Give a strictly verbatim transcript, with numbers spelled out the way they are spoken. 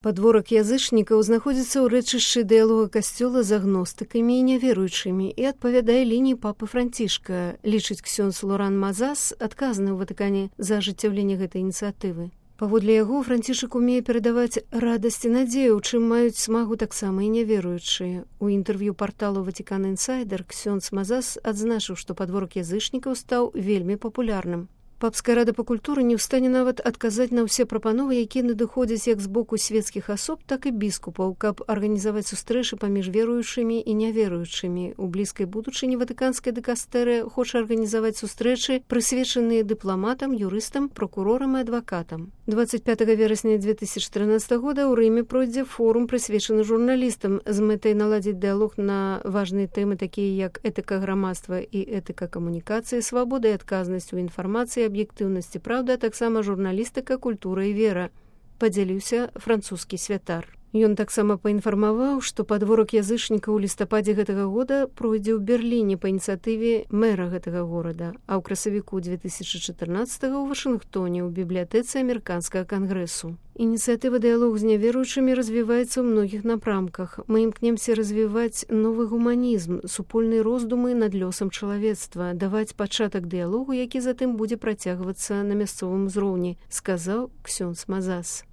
Падворак язычнікаў знаходзіцца ў рэчышчы дыялога касцёла з агностыкамі і няверуючымі і адпавядае лініі папы Францішка, лічыць ксёндз Лоран Мазас, адказны ў Ватыкане за ажыццяўленне гэтай ініцыятывы. Паводле яго, Францішак умее перадаваць радасць і надзею, чым маюць смагу таксама і няверуючыя. У інтэрв'ю парталу Ватикан Інсайдер ксёндз Мазас адзначыў, што падворак язычнікаў стаў вельмі папулярным. Папская рада па культуры не ў стане нават адказаць на ўсе прапановы, якія надыходзяць як з боку свецкіх асоб, так і біскупаў, каб арганізаваць сустрэчы паміж веруючымі і няверуючымі. У блізкай будучыні ватыканская дыкастэрыя хоча арганізаваць сустрэчы, прысвечаныя дыпламатам, юрыстам, прокурорам і адвакатам. дваццаць пятага верасня дзве тысячы трынаццатага года ў Рыме пройдзе форум, прысвечаны журналістам, з мэтай наладзіць дыялог на важныя тэмы, такія як этыка грамадства і этыка камунікацыі, свабода і адказнасць у інфармацыі, аб'ектыўнасці, праўда, а таксама журналістыка, культура і вера, падзяліўся французскі святар. Ён таксама паінфармаваў, што падворак язычнікаў у лістападзе гэтага года пройдзе ў Берліне па ініцыятыве мэра гэтага горада, а ў красавіку дзве тысячы чатырнаццатага ў Вашынгтоне ў бібліятэцы амерыканскага кангрэсу. Ініцыятыва дыялог з няверуючымі развіваецца ў многіх напрамках. Мы імкнемся развіваць новы гуманізм, супольныя роздумы над лёсам чалавецтва, даваць пачатак дыялогу, які затым будзе працягвацца на мясцовым узроўні, сказаў ксёндз Мазас.